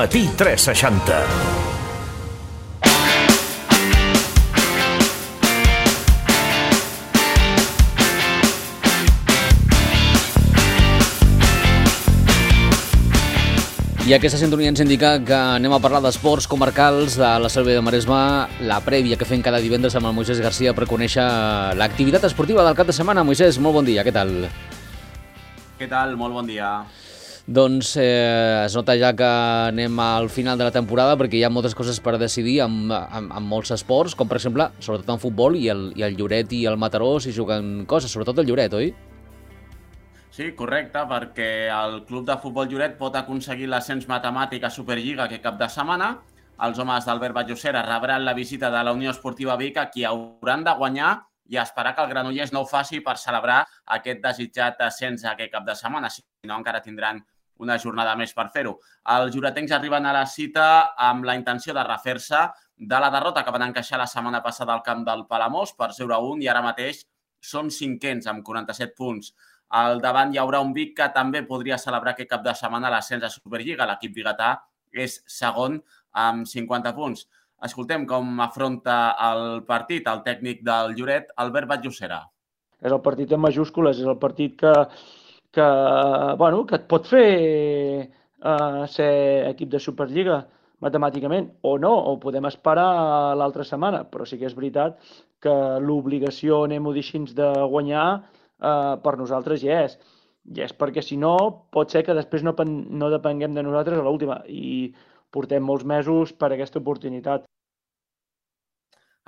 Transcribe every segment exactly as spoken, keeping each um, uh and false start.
Matí tres seixanta. I aquesta sintonia ens indica que anem a parlar d'esports comarcals de la Selva de Maresme, la prèvia que fem cada divendres amb el Moisés Garcia per conèixer l'activitat esportiva del cap de setmana. Moisés, molt bon dia, què tal? Què tal? Molt bon dia. Doncs eh, es nota ja que anem al final de la temporada perquè hi ha moltes coses per decidir amb, amb, amb molts esports, com per exemple, sobretot en futbol, i el, i el Lloret i el Mataró s'hi juguen coses, sobretot el Lloret, oi? Sí, correcte, perquè el Club de Futbol Lloret pot aconseguir l'ascens matemàtic a Superliga aquest cap de setmana. Els homes d'Albert Vallosera rebran la visita de la Unió Esportiva Vic, a qui hauran de guanyar i esperar que el Granollers no ho faci per celebrar aquest desitjat ascens aquest cap de setmana, si no encara tindran una jornada més per fer-ho. Els lloretencs arriben a la cita amb la intenció de refer-se de la derrota que van encaixar la setmana passada al camp del Palamós per zero a un i ara mateix són cinquens amb quaranta-set punts. Al davant hi haurà un Vic que també podria celebrar aquest cap de setmana l'ascens a Superliga. L'equip biguetà és segon amb cinquanta punts. Escoltem com afronta el partit el tècnic del Lloret, Albert Vallosera. És el partit en majúscules, és el partit que, que, bueno, que et pot fer uh, ser equip de Superliga matemàticament, o no, o podem esperar l'altra setmana, però sí que és veritat que l'obligació, anem-ho dir així, de guanyar Uh, per nosaltres ja és. Ja és perquè, si no, pot ser que després no, no depenguem de nosaltres a l'última i portem molts mesos per a aquesta oportunitat.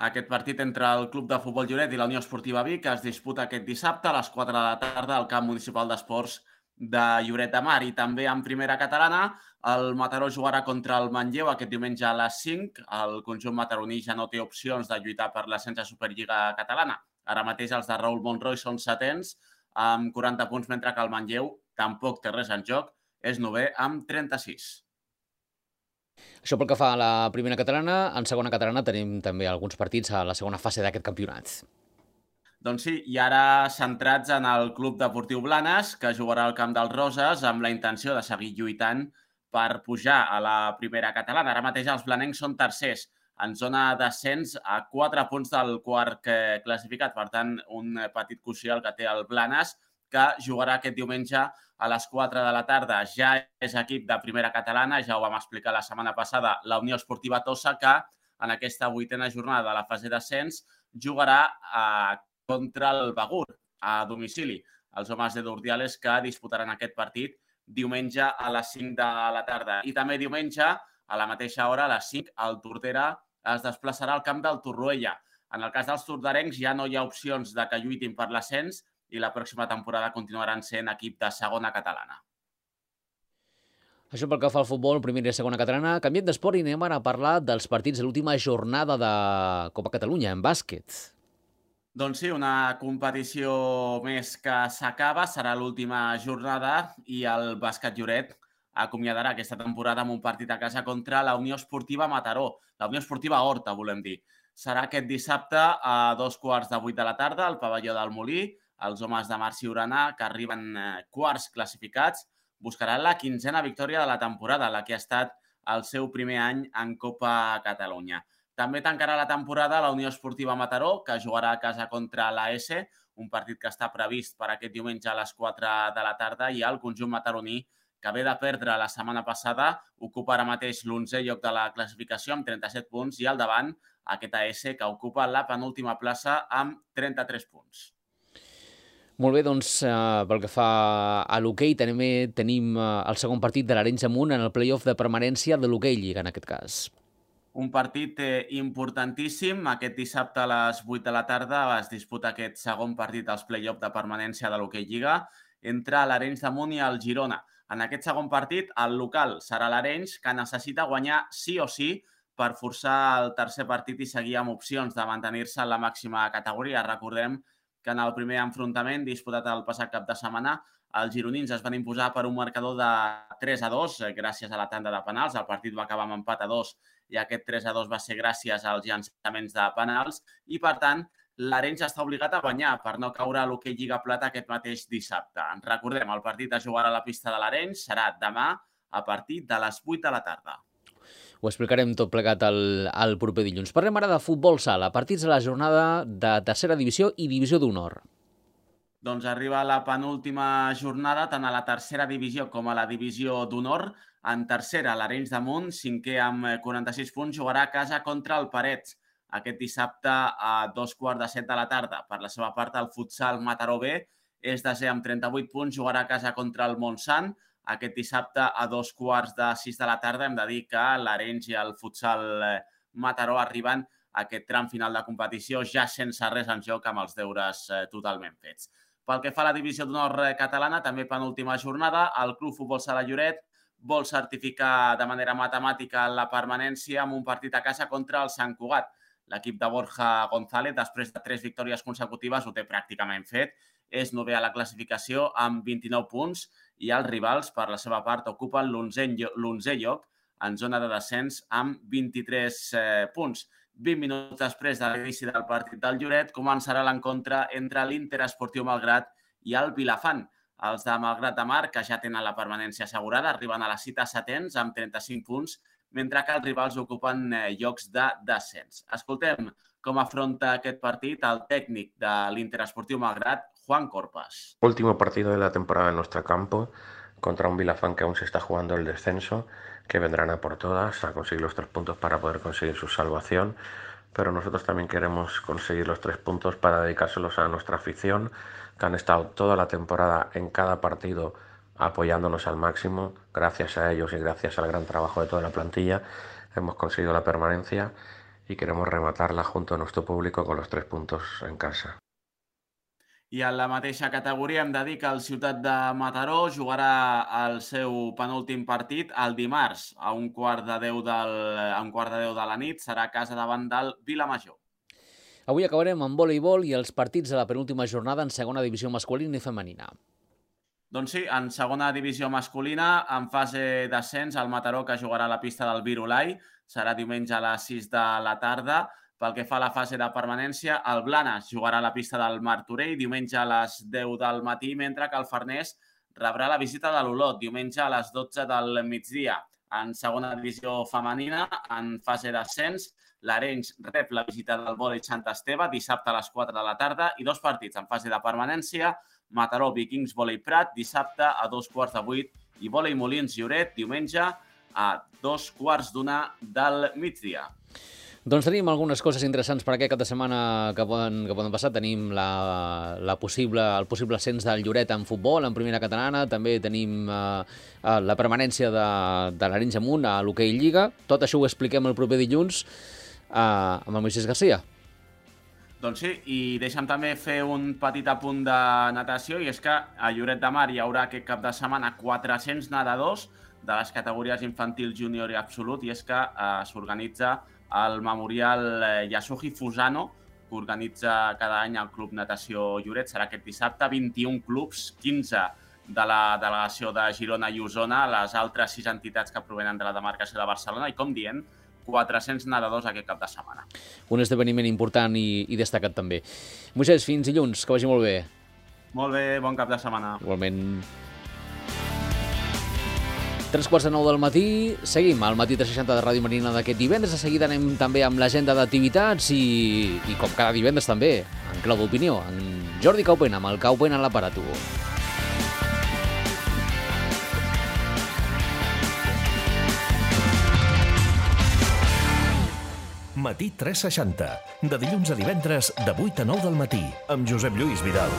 Aquest partit entre el Club de Futbol Lloret i la Unió Esportiva Vic es disputa aquest dissabte a les quatre de la tarda al Camp Municipal d'Esports de Lloret de Mar. I també en primera catalana, el Mataró jugarà contra el Manlleu aquest diumenge a les cinc. El conjunt mataroní ja no té opcions de lluitar per l'ascens a Superliga catalana. Ara mateix els de Raül Monroy són setens amb quaranta punts, mentre que el Manlleu tampoc té res en joc, és novè amb trenta-sis. Això pel que fa a la primera catalana. En segona catalana tenim també alguns partits a la segona fase d'aquest campionat. Doncs sí, i ara centrats en el Club Deportiu Blanes, que jugarà al Camp dels Roses amb la intenció de seguir lluitant per pujar a la primera catalana. Ara mateix els blanencs són tercers, en zona d'ascens a quatre punts del quart classificat. Per tant, un petit coixí el que té el Blanes, que jugarà aquest diumenge a les quatre de la tarda. Ja és equip de primera catalana, ja ho vam explicar la setmana passada, la Unió Esportiva Tossa, que en aquesta vuitena jornada de la fase d'ascens jugarà a, contra el Begur, a domicili. Els homes de Durdiales que disputaran aquest partit diumenge a les cinc de la tarda. I també diumenge, a la mateixa hora, a les cinc, el Tordera es desplaçarà al camp del Torroella. En el cas dels tordarencs ja no hi ha opcions de que lluitin per l'ascens i la pròxima temporada continuaran sent equip de segona catalana. Això pel que fa al futbol, primera i segona catalana. Canviem d'esport i anem ara a parlar dels partits de l'última jornada de Copa Catalunya en bàsquet. Doncs sí, una competició més que s'acaba, serà l'última jornada i el bàsquet Lloret acomiadarà aquesta temporada amb un partit a casa contra la Unió Esportiva Mataró, la Unió Esportiva Horta, volem dir. Serà aquest dissabte a dos quarts de vuit de la tarda al pavelló del Molí. Els homes de Marc Ciurana, que arriben quarts classificats, buscaran la quinzena victòria de la temporada, la que ha estat el seu primer any en Copa Catalunya. També tancarà la temporada la Unió Esportiva Mataró, que jugarà a casa contra l'A S, un partit que està previst per aquest diumenge a les quatre de la tarda, i el conjunt mataroní, que ve de perdre la setmana passada, ocupa ara mateix l'onzè lloc de la classificació amb trenta-set punts i al davant aquest A S, que ocupa la penúltima plaça amb trenta-tres punts. Molt bé, doncs eh, pel que fa a l'hoquei també tenim eh, el segon partit de l'Arenys Amunt en el play-off de permanència de l'hoquei Lliga en aquest cas. Un partit eh, importantíssim. Aquest dissabte a les vuit de la tarda es disputa aquest segon partit als play-off de permanència de l'hoquei Lliga entre l'Arenys Amunt i el Girona. En aquest segon partit, el local serà l'Arenys, que necessita guanyar sí o sí per forçar el tercer partit i seguir amb opcions de mantenir-se en la màxima categoria. Recordem que en el primer enfrontament disputat el passat cap de setmana, els gironins es van imposar per un marcador de tres a dos gràcies a la tanda de penals. El partit va acabar amb empat a dos i aquest tres a dos va ser gràcies als llançaments de penals i, per tant, l'Arenys està obligat a guanyar per no caure a l'hoquei Lliga Plata aquest mateix dissabte. Recordem, el partit es jugarà a la pista de l'Arenys, serà demà a partir de les vuit de la tarda. Ho explicarem tot plegat el, el proper dilluns. Parlem ara de futbol sala, partits de la jornada de tercera divisió i divisió d'honor. Doncs arriba la penúltima jornada, tant a la tercera divisió com a la divisió d'honor. En tercera, l'Arenys de Munt, cinquè amb quaranta-sis punts, jugarà a casa contra el Parets. Aquest dissabte a dos quarts de set de la tarda. Per la seva part, el futsal Mataró B és desè amb trenta-vuit punts, jugarà a casa contra el Montsant. Aquest dissabte a dos quarts de sis de la tarda hem de dir que l'Arenys i el futsal Mataró arriben a aquest tram final de competició ja sense res en joc, amb els deures totalment fets. Pel que fa a la divisió d'honor catalana, també penúltima jornada, el Club Futbol Sala Lloret vol certificar de manera matemàtica la permanència amb un partit a casa contra el Sant Cugat. L'equip de Borja González, després de tres victòries consecutives, ho té pràcticament fet. És novè a la classificació amb vint-i-nou punts i els rivals, per la seva part, ocupen l'onzè lloc en zona de descens amb vint-i-tres punts. vint minuts després de l'inici del partit del Lloret començarà l'encontre entre l'Inter Esportiu Malgrat i el Vilafant. Els de Malgrat de Mar, que ja tenen la permanència assegurada, arriben a la cita setens amb trenta-cinc punts, mentre que els rivals ocupen llocs de descens. Escoltem com afronta aquest partit el técnico del Inter Esportiu Malgrat, Juan Corpas. Último partido de la temporada en nuestro campo, contra un Vilafán que aún se está jugando el descenso, que vendrán a por todas a conseguir los tres puntos para poder conseguir su salvación, pero nosotros también queremos conseguir los tres puntos para dedicárselos a nuestra afición, que han estado toda la temporada en cada partido apoyándonos al máximo. Gracias a ellos y gracias al gran trabajo de toda la plantilla hemos conseguido la permanencia y queremos rematarla junto a nuestro público con los tres puntos en casa. I en la mateixa categoria hem de dir que el Ciutat de Mataró jugarà el seu penúltim partit el dimarts a un quart de deu, del, a un quart de, deu de la nit. Serà a casa davant del Vilamajor. Avui acabarem amb voleibol i els partits de la penúltima jornada en segona divisió masculina i femenina. Doncs sí, en segona divisió masculina, en fase d'ascens, el Mataró, que jugarà a la pista del Virolai, serà diumenge a les sis de la tarda. Pel que fa a la fase de permanència, el Blanes jugarà a la pista del Martorell diumenge a les deu del matí, mentre que el Farners rebrà la visita de l'Olot diumenge a les dotze del migdia. En segona divisió femenina, en fase d'ascens, l'Arenys rep la visita del Vòlei Sant Esteve dissabte a les quatre de la tarda i dos partits en fase de permanència, Mataró Vikings Vòlei Prat dissabte a dos quarts de vuit i Vòlei Molins Lloret diumenge a dos quarts d'una del migdia. Doncs tenim algunes coses interessants per aquest cap de setmana que poden, que poden passar. Tenim la, la possible, el possible ascens del Lloret en futbol, en primera catalana. També tenim eh, la permanència de, de l'Arenys de Munt a l'hoquei Lliga. Tot això ho expliquem el proper dilluns eh, amb el Moisés Garcia. Doncs sí, i deixa'm també fer un petit apunt de natació, i és que a Lloret de Mar hi haurà aquest cap de setmana quatre-cents nedadors de les categories infantil, júnior i absolut, i és que eh, s'organitza el Memorial Yasuji Fusano, que organitza cada any el Club Natació Lloret. Serà aquest dissabte, vint-i-un clubs, quinze de la delegació de Girona i Osona, les altres sis entitats que provenen de la demarcació de Barcelona i, com dient, quatre-cents nedadors aquest cap de setmana. Un esdeveniment important i, i destacat també. Moisés, fins dilluns, que vagi molt bé. Molt bé, bon cap de setmana. Igualment. Tres quarts de nou del matí, seguim al Matí tres seixanta de Ràdio Marina d'aquest divendres. De seguida anem també amb l'agenda d'activitats i, i com cada divendres també, en clau d'opinió, en Jordi Caupen, amb el Caupen en l'aparato. Matí tres seixanta, de dilluns a divendres de vuit a nou del matí, amb Josep Lluís Vidal.